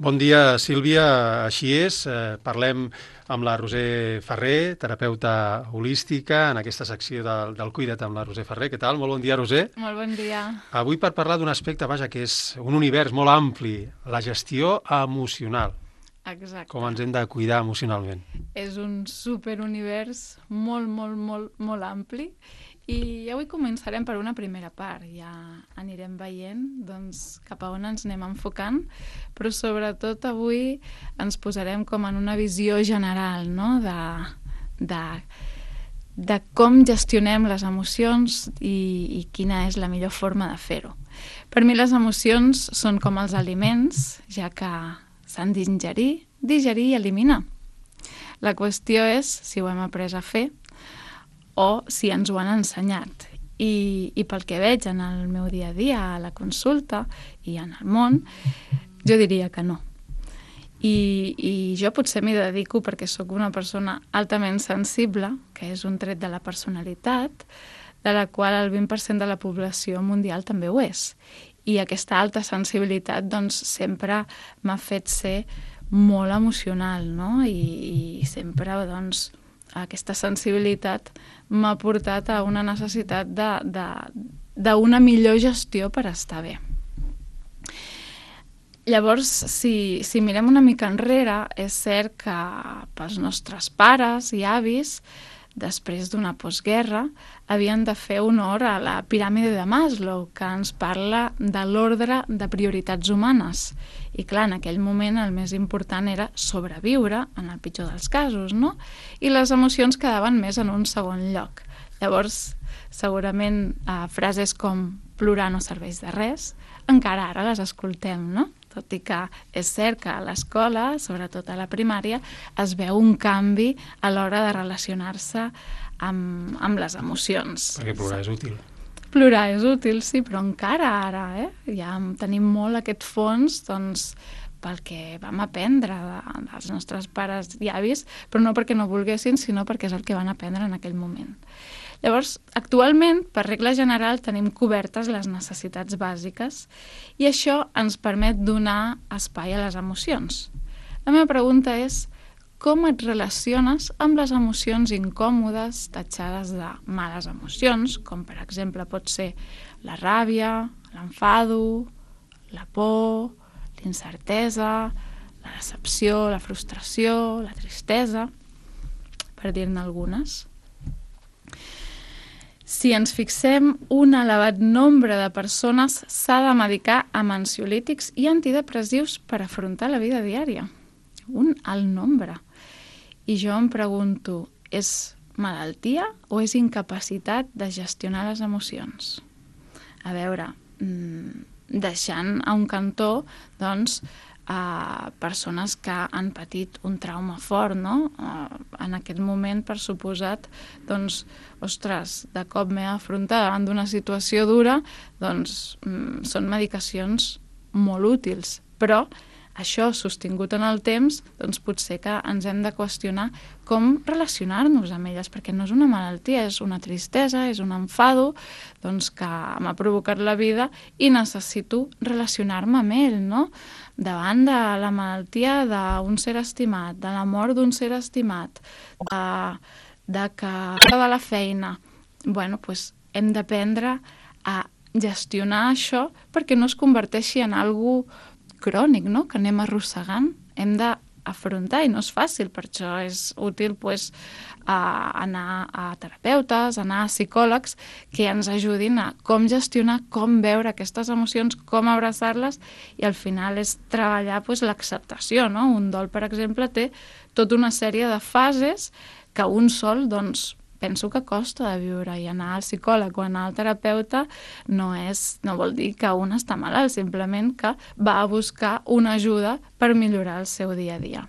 Bon dia, Sílvia. Així és, parlem amb la Roser Ferrer, terapeuta holística, en aquesta secció del Cuida't amb la Roser Ferrer. Què tal? Molt bon dia, Roser. Molt bon dia. Avui per parlar d'un aspecte, vaja, que és un univers molt ampli, la gestió emocional, Exacte. com ens hem de cuidar emocionalment. És un superunivers molt ampli i avui començarem per una primera part. Ja anirem veient doncs, cap a on ens anem enfocant, però sobretot avui ens posarem com en una visió general, no? de com gestionem les emocions i quina és la millor forma de fer-ho. Per mi les emocions són com els aliments, ja que s'han d'ingerir, digerir i eliminar. La qüestió és si ho hem après a fer o si ens ho han ensenyat. I pel que veig en el meu dia a dia, a la consulta i en el món, jo diria que no. I jo potser m'hi dedico perquè sóc una persona altament sensible, que és un tret de la personalitat, de la qual el 20% de la població mundial també ho és. I aquesta alta sensibilitat doncs, sempre m'ha fet ser molt emocional, no? I sempre doncs, aquesta sensibilitat m'ha portat a una necessitat d'una millor gestió per estar bé. Llavors, si mirem una mica enrere, és cert que pels nostres pares i avis, després d'una postguerra, havien de fer honor a la piràmide de Maslow, que ens parla de l'ordre de prioritats humanes. I clar, en aquell moment el més important era sobreviure, en el pitjor dels casos, no? I les emocions quedaven més en un segon lloc. Llavors, segurament frases com plorar no serveix de res, encara ara les escoltem, no? Tot i que és cert que a l'escola, sobretot a la primària, es veu un canvi a l'hora de relacionar-se amb les emocions. Perquè plorar és útil. Plorar és útil, sí, però encara ara, ja tenim molt aquest fons, doncs, pel que vam aprendre dels nostres pares i avis, però no perquè no volguessin, sinó perquè és el que van aprendre en aquell moment. Llavors, actualment, per regla general, tenim cobertes les necessitats bàsiques i això ens permet donar espai a les emocions. La meva pregunta és, com et relaciones amb les emocions incòmodes, tatxades de males emocions, com per exemple pot ser la ràbia, l'enfado, la por, l'incertesa, la decepció, la frustració, la tristesa, per dir-ne algunes. Si ens fixem, un elevat nombre de persones s'ha de medicar amb ansiolítics i antidepressius per afrontar la vida diària. Un alt nombre. I jo em pregunto, és malaltia o és incapacitat de gestionar les emocions? A veure, deixant a un cantó, doncs, persones que han patit un trauma fort, no? En aquest moment, per suposat, doncs, ostres, de cop m'he afrontat davant d'una situació dura, doncs són medicacions molt útils, però això sostingut en el temps, doncs potser que ens hem de qüestionar com relacionar-nos amb elles, perquè no és una malaltia, és una tristesa, és un enfado, doncs que m'ha provocat la vida i necessito relacionar-me amb ell, no? Davant de la malaltia d'un ser estimat, de la mort d'un ser estimat, de que de la feina, bueno, doncs hem d'aprendre a gestionar això perquè no es converteixi en algo crònic, no? Que anem arrossegant. Hem d'afrontar, i no és fàcil, per això és útil pues, anar a terapeutes, anar a psicòlegs que ens ajudin a com gestionar, com veure aquestes emocions, com abraçar-les, i al final és treballar pues, l'acceptació, no? Un dol, per exemple, té tota una sèrie de fases que un sol, doncs, penso que costa de viure, i anar al psicòleg o anar al terapeuta no vol dir que un està malalt, simplement que va a buscar una ajuda per millorar el seu dia a dia.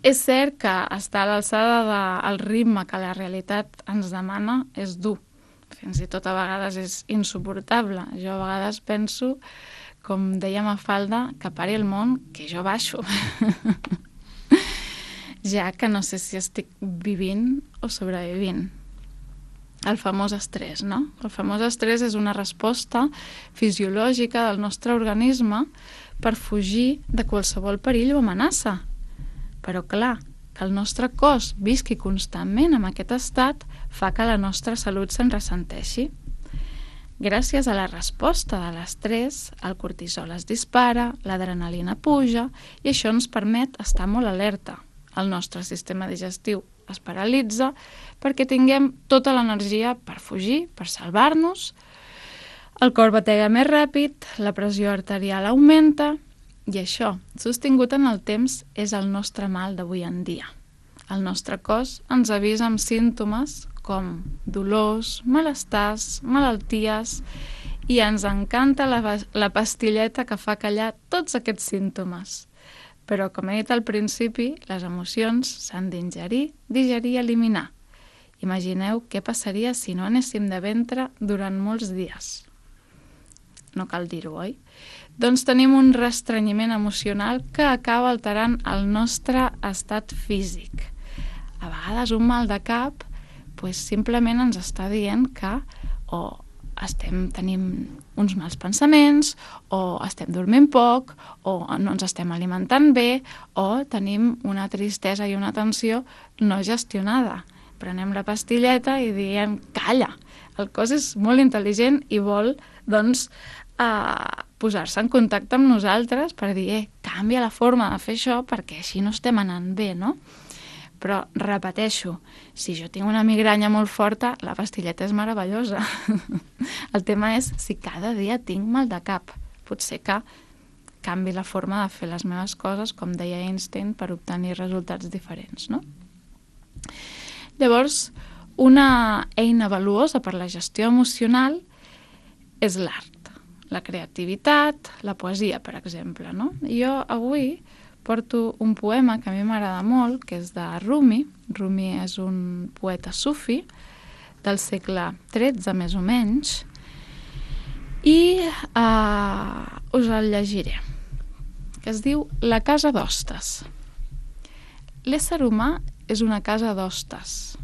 És cert que estar a l'alçada del ritme que la realitat ens demana és dur, fins i tot a vegades és insuportable. Jo a vegades penso, com deia Mafalda, que pari el món, que jo baixo. Ja que no sé si estic vivint o sobrevivint. El famós estrès, no? El famós estrès és una resposta fisiològica del nostre organisme per fugir de qualsevol perill o amenaça. Però clar, que el nostre cos visqui constantment en aquest estat fa que la nostra salut se'n ressenteixi. Gràcies a la resposta de l'estrès, el cortisol es dispara, l'adrenalina puja i això ens permet estar molt alerta. El nostre sistema digestiu es paralitza perquè tinguem tota l'energia per fugir, per salvar-nos. El cor batega més ràpid, la pressió arterial augmenta i això, sostingut en el temps, és el nostre mal d'avui en dia. El nostre cos ens avisa amb símptomes com dolors, malestars, malalties i ens encanta la pastilleta que fa callar tots aquests símptomes. Però, com he dit al principi, les emocions s'han d'ingerir, digerir i eliminar. Imagineu què passaria si no anéssim de ventre durant molts dies. No cal dir-ho, oi? Doncs tenim un restrenyiment emocional que acaba alterant el nostre estat físic. A vegades un mal de cap simplement ens està dient que tenim uns mals pensaments, o estem dormint poc, o no ens estem alimentant bé, o tenim una tristesa i una tensió no gestionada. Prenem la pastilleta i diem, calla, el cos és molt intel·ligent i vol, doncs, posar-se en contacte amb nosaltres per dir, canvia la forma de fer això perquè així no estem anant bé, no? Però, repeteixo, si jo tinc una migranya molt forta, la pastilleta és meravellosa. El tema és si cada dia tinc mal de cap. Potser que canvi la forma de fer les meves coses, com deia Einstein, per obtenir resultats diferents, no? Llavors, una eina valuosa per la gestió emocional és l'art, la creativitat, la poesia, per exemple, no? Jo avui porto un poema que a mi m'agrada molt, que és de Rumi. Rumi és un poeta sufi del segle XIII, més o menys, i us el llegiré, que es diu La casa d'hostes. L'ésser humà és una casa d'hostes.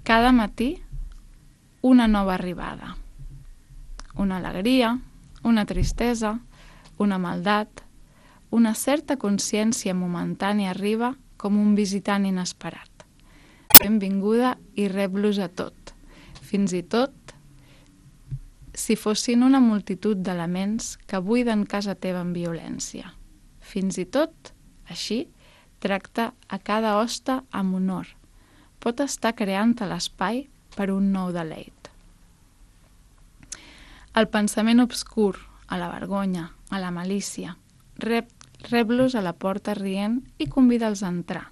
Cada matí, una nova arribada. Una alegria, una tristesa, una maldat, una certa consciència momentània arriba com un visitant inesperat. Benvinguda i rep-los a tot, fins i tot si fossin una multitud d'elements que buiden casa teva amb violència. Fins i tot, així, tracta a cada hoste amb honor. Pot estar creant a l'espai per un nou deleit. El pensament obscur, a la vergonya, a la malícia, rep-los a la porta rient i convida'ls a entrar.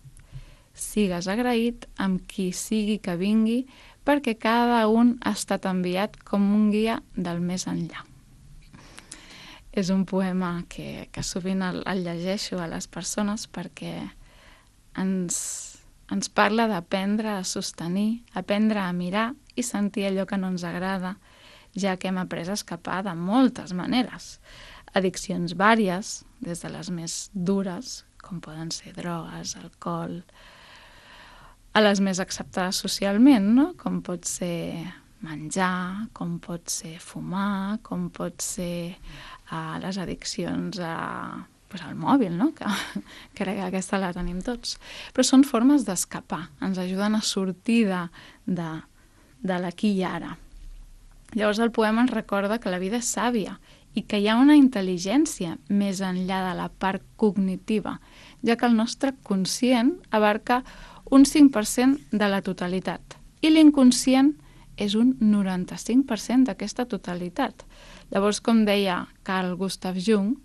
Sigues agraït amb qui sigui que vingui perquè cada un ha estat enviat com un guia del més enllà. És un poema que sovint el llegeixo a les persones perquè ens parla d'aprendre a sostenir, aprendre a mirar i sentir allò que no ens agrada, ja que hem après a escapar de moltes maneres. Addiccions vàries, des de les més dures, com poden ser drogues, alcohol, a les més acceptades socialment, no? Com pot ser menjar, com pot ser fumar, com pot ser les addiccions al mòbil, no? Que crec que aquesta la tenim tots. Però són formes d'escapar, ens ajuden a sortir de l'aquí i ara. Llavors el poema ens recorda que la vida és sàvia i que hi ha una intel·ligència més enllà de la part cognitiva, ja que el nostre conscient abarca un 5% de la totalitat i l'inconscient és un 95% d'aquesta totalitat. Llavors, com deia Carl Gustav Jung,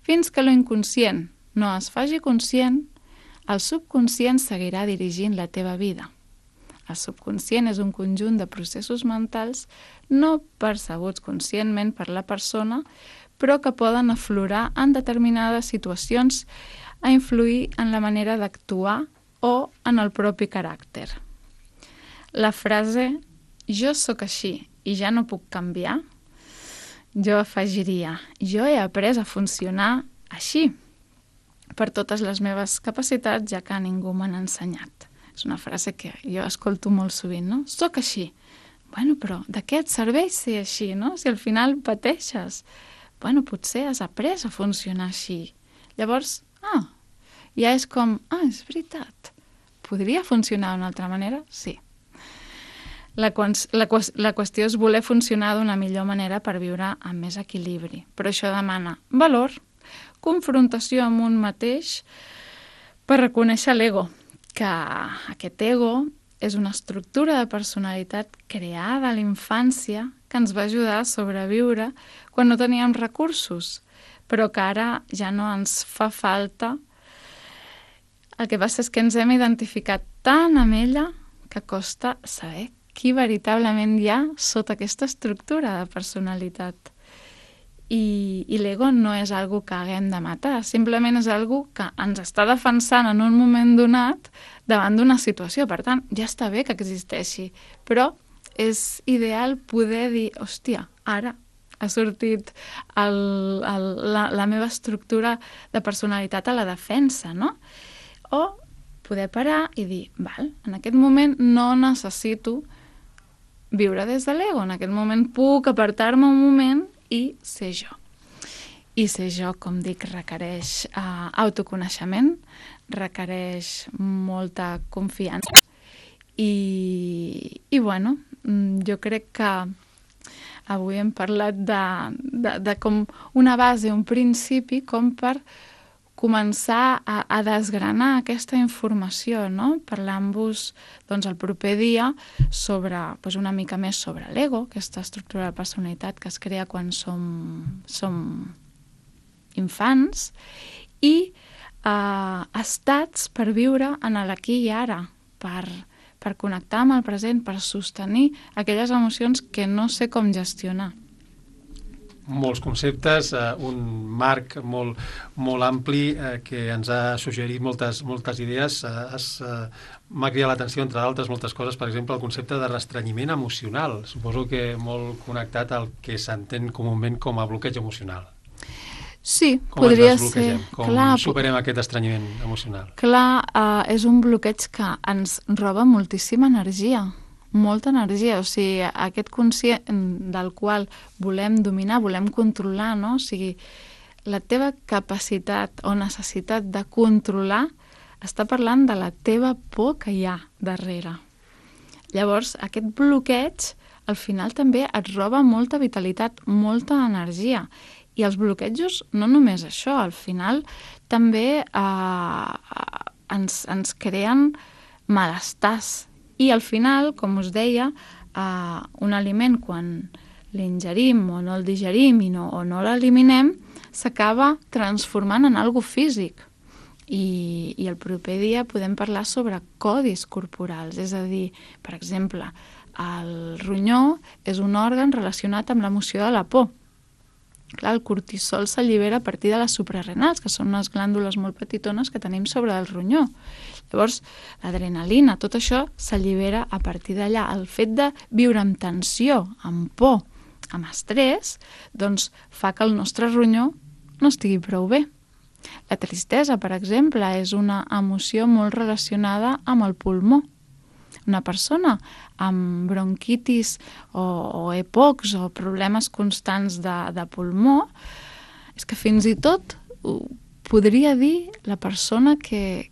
fins que l'inconscient no es faci conscient, el subconscient seguirà dirigint la teva vida. El subconscient és un conjunt de processos mentals no percebuts conscientment per la persona, però que poden aflorar en determinades situacions a influir en la manera d'actuar o en el propi caràcter. La frase «jo sóc així i ja no puc canviar», jo afegiria «jo he après a funcionar així per totes les meves capacitats, ja que ningú m'han ensenyat». És una frase que jo escolto molt sovint, no? Soc així. Bueno, però de què et serveix ser així, no? Si al final pateixes. bueno, potser has après a funcionar així. Llavors, ja és com, és veritat, podria funcionar d'una altra manera? Sí. La qüestió és voler funcionar d'una millor manera per viure amb més equilibri. Però això demana valor, confrontació amb un mateix per reconèixer l'ego, que aquest ego és una estructura de personalitat creada a la infància que ens va ajudar a sobreviure quan no teníem recursos, però que ara ja no ens fa falta. El que passa és que ens hem identificat tant amb ella que costa saber qui veritablement hi ha sota aquesta estructura de personalitat. I l'ego no és algo que haguem de matar, simplement és algo que ens està defensant en un moment donat davant d'una situació. Per tant, ja està bé que existeixi, però és ideal poder dir, hòstia, ara ha sortit la meva estructura de personalitat a la defensa, no? O poder parar i dir, val, en aquest moment no necessito viure des de l'ego, en aquest moment puc apartar-me un moment i ser jo. I ser jo, com dic, requereix autoconeixement, requereix molta confiança i bueno, jo crec que avui hem parlat de com una base, un principi, com per començar a desgranar aquesta informació, no? Parlant-vos el proper dia sobre una mica més sobre l'ego, aquesta estructura de personalitat que es crea quan som infants, i estats per viure en l'aquí i ara, per connectar amb el present, per sostenir aquelles emocions que no sé com gestionar. Molts conceptes, un marc molt, molt ampli que ens ha suggerit moltes idees. M'ha cridat l'atenció, entre d'altres moltes coses, per exemple, el concepte de restrenyiment emocional. Suposo que molt connectat al que s'entén comúment com a bloqueig emocional. Sí, com podria ser. Com superem aquest estrenyiment emocional? Clar, és un bloqueig que ens roba moltíssima energia. Molta energia, o sigui, aquest conscient del qual volem dominar, volem controlar, no? O sigui, la teva capacitat o necessitat de controlar està parlant de la teva por que hi ha darrere. Llavors, aquest bloqueig, al final també et roba molta vitalitat, molta energia. I els bloquejos, no només això, al final també ens creen malestars. I al final, com us deia, un aliment quan l'ingerim o no el digerim o no l'eliminem, s'acaba transformant en algo físic. I el proper dia podem parlar sobre codis corporals, és a dir, per exemple, el ronyó és un òrgan relacionat amb l'emoció de la por. Clar, el cortisol s'allibera a partir de les suprarrenals, que són unes glàndules molt petitones que tenim sobre el ronyó. Llavors, l'adrenalina, tot això s'allibera a partir d'allà. El fet de viure amb tensió, amb por, amb estrès, doncs fa que el nostre ronyó no estigui prou bé. La tristesa, per exemple, és una emoció molt relacionada amb el pulmó. Una persona amb bronquitis o EPOCs o problemes constants de pulmó, és que fins i tot podria dir la persona que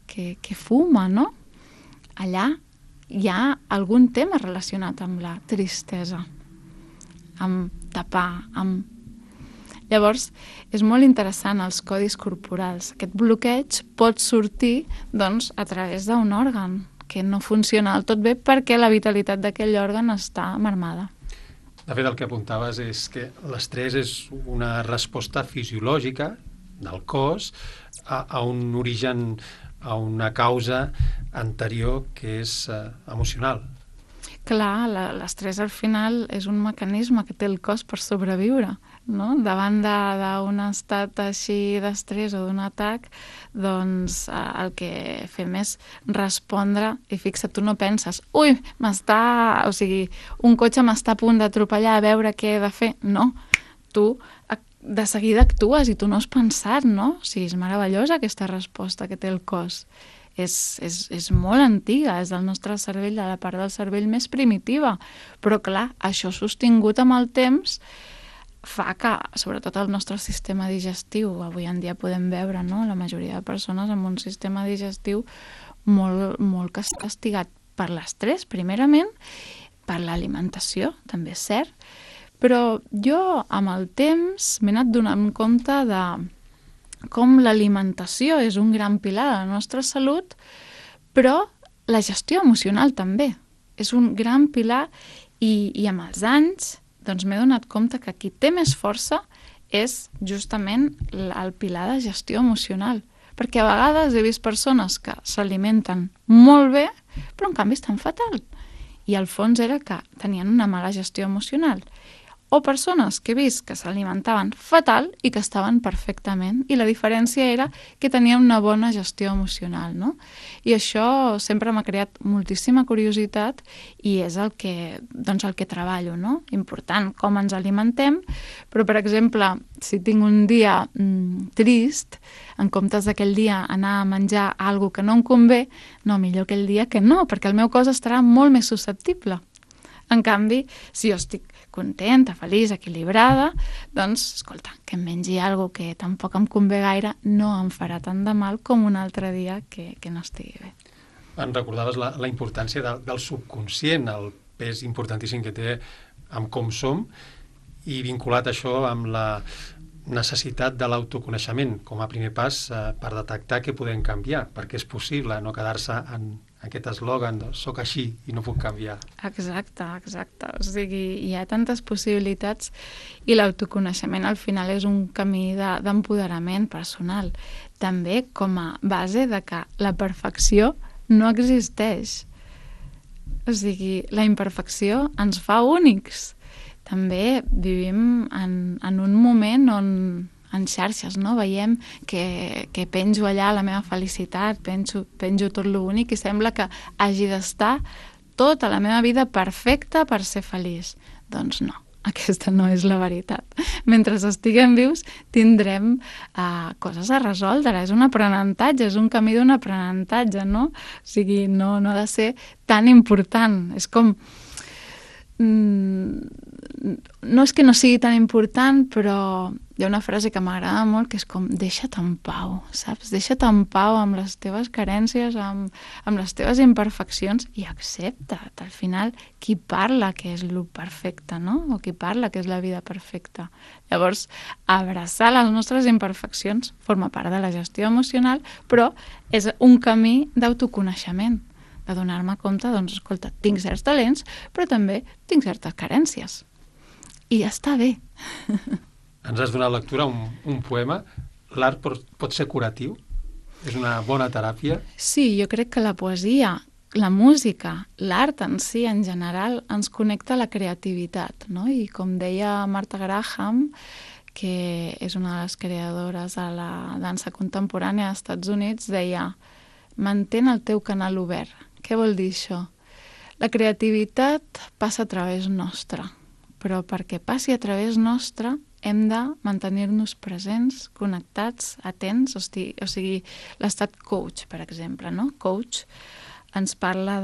fuma, no? Allà hi ha algun tema relacionat amb la tristesa, amb tapar, amb... Llavors, és molt interessant els codis corporals. Aquest bloqueig pot sortir, doncs, a través d'un òrgan que no funciona del tot bé perquè la vitalitat d'aquell òrgan està marmada. De fet, el que apuntaves és que l'estrès és una resposta fisiològica del cos a un origen, a una causa anterior que és emocional. Clar, l'estrès al final és un mecanisme que té el cos per sobreviure, no? Davant d'un estat així d'estrès o d'un atac, doncs el que fem és respondre, i fixa't, tu no penses, ui, o sigui, un cotxe m'està a punt d'atropellar, a veure què he de fer. No, tu de seguida actues i tu no has pensat, no? O sigui, és meravellosa aquesta resposta que té el cos. És molt antiga, és del nostre cervell, de la part del cervell més primitiva, però clar, això sostingut amb el temps fa que, sobretot el nostre sistema digestiu, avui en dia podem veure, no?, la majoria de persones amb un sistema digestiu molt castigat per l'estrès, primerament, per l'alimentació, també és cert, però jo amb el temps m'he anat donant compte de com l'alimentació és un gran pilar de la nostra salut, però la gestió emocional també és un gran pilar i amb els anys doncs m'he donat compte que qui té més força és justament el pilar de gestió emocional. Perquè a vegades he vist persones que s'alimenten molt bé, però en canvi estan fatal. I al fons era que tenien una mala gestió emocional. O persones que he vist que s'alimentaven fatal i que estaven perfectament. I la diferència era que tenien una bona gestió emocional, no? I això sempre m'ha creat moltíssima curiositat i és el que treballo, no? Important com ens alimentem, però, per exemple, si tinc un dia trist, en comptes d'aquell dia anar a menjar alguna que no em convé, no, millor aquell dia que no, perquè el meu cos estarà molt més susceptible. En canvi, si jo estic contenta, feliç, equilibrada, doncs, escolta, que em mengi alguna que tampoc em convé gaire no em farà tant de mal com un altre dia que no estigui bé. Em recordaves la importància del subconscient, el pes importantíssim que té amb com som, i vinculat això amb la necessitat de l'autoconeixement com a primer pas per detectar que podem canviar, perquè és possible no quedar-se en aquest eslògan de soc així i no puc canviar. Exacte. O sigui, hi ha tantes possibilitats i l'autoconeixement al final és un camí d'empoderament personal. També com a base de que la perfecció no existeix. O sigui, la imperfecció ens fa únics. També vivim en un moment on en xarxes, no? Veiem que penjo allà la meva felicitat, penjo tot lo únic i sembla que hagi d'estar tota la meva vida perfecta per ser feliç. Doncs no, aquesta no és la veritat. Mentre estiguem vius tindrem coses a resoldre, és un aprenentatge, és un camí d'un aprenentatge, no? O sigui, no ha de ser tan important. És com... no és que no sigui tan important, però hi ha una frase que m'agrada molt que és com deixa't en pau, saps? Deixa't en pau amb les teves carències, amb les teves imperfeccions i accepta't. Al final, qui parla que és lo perfecte, no? O qui parla que és la vida perfecta. Llavors, abraçar les nostres imperfeccions forma part de la gestió emocional, però és un camí d'autoconeixement, de donar-me compte, doncs, escolta, tinc certs talents, però també tinc certes carències. I ja està bé. Ens has donat lectura un poema. L'art pot ser curatiu? És una bona teràpia? Sí, jo crec que la poesia, la música, l'art en si, en general, ens connecta a la creativitat, no? I com deia Martha Graham, que és una de les creadores de la dansa contemporània als Estats Units, deia: mantén el teu canal obert. Què vol dir això? La creativitat passa a través nostre, però perquè passi a través nostre hem de mantenir-nos presents, connectats, atents, o sigui, l'estat coach, per exemple, no? Coach ens parla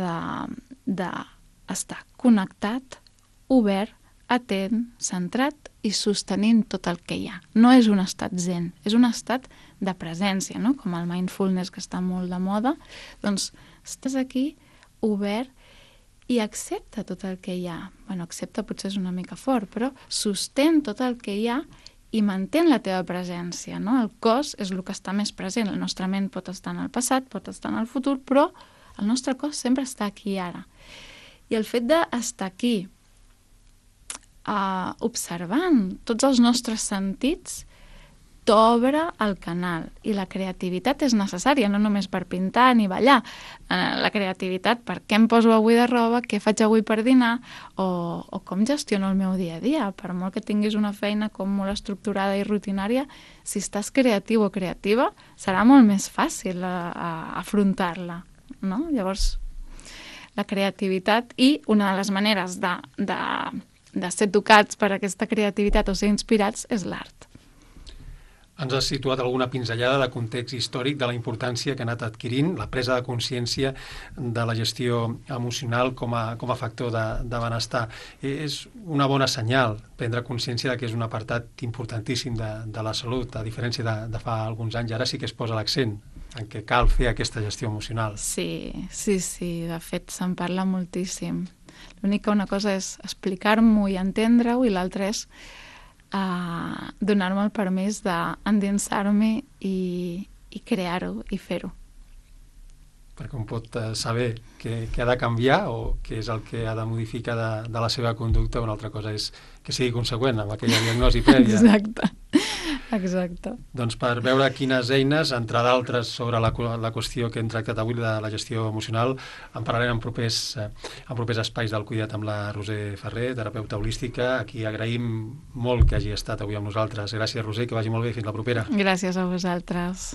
d'estar connectat, obert, atent, centrat i sostenint tot el que hi ha. No és un estat zen, és un estat de presència, no? Com el mindfulness, que està molt de moda. Doncs estàs aquí, obert, i accepta tot el que hi ha. Bueno, accepta potser és una mica fort, però sostén tot el que hi ha i mantén la teva presència, no? El cos és el que està més present. La nostra ment pot estar en el passat, pot estar en el futur, però el nostre cos sempre està aquí ara. I el fet d'estar aquí, observant tots els nostres sentits, t'obre el canal. I la creativitat és necessària, no només per pintar ni ballar. La creativitat, per què em poso avui de roba, què faig avui per dinar, o com gestiono el meu dia a dia. Per molt que tinguis una feina com molt estructurada i rutinària, si estàs creatiu o creativa, serà molt més fàcil afrontar-la, no? Llavors, la creativitat, i una de les maneres de ser tocats per aquesta creativitat o ser inspirats és l'art. Ens has situat alguna pinzellada de context històric de la importància que ha anat adquirint la presa de consciència de la gestió emocional com a factor de benestar. És una bona senyal prendre consciència que és un apartat importantíssim de la salut, a diferència de fa alguns anys. Ara sí que es posa l'accent en què cal fer aquesta gestió emocional. Sí, de fet se'n parla moltíssim. L'únic que una cosa és explicar-m'ho i entendre-ho i l'altra és donar-me el permís d'endinsar-me i crear-ho i fer-ho. Perquè un pot saber què ha de canviar o què és el que ha de modificar de la seva conducta, una altra cosa és que sigui conseqüent amb aquella diagnosi prèvia. Exacte. Doncs per veure quines eines, entre d'altres, sobre la qüestió que hem tractat avui de la gestió emocional, en parlarem en propers espais del Cuida't amb la Roser Ferrer, terapeuta holística, a qui agraïm molt que hagi estat avui amb nosaltres. Gràcies, Roser, que vagi molt bé. Fins la propera. Gràcies a vosaltres.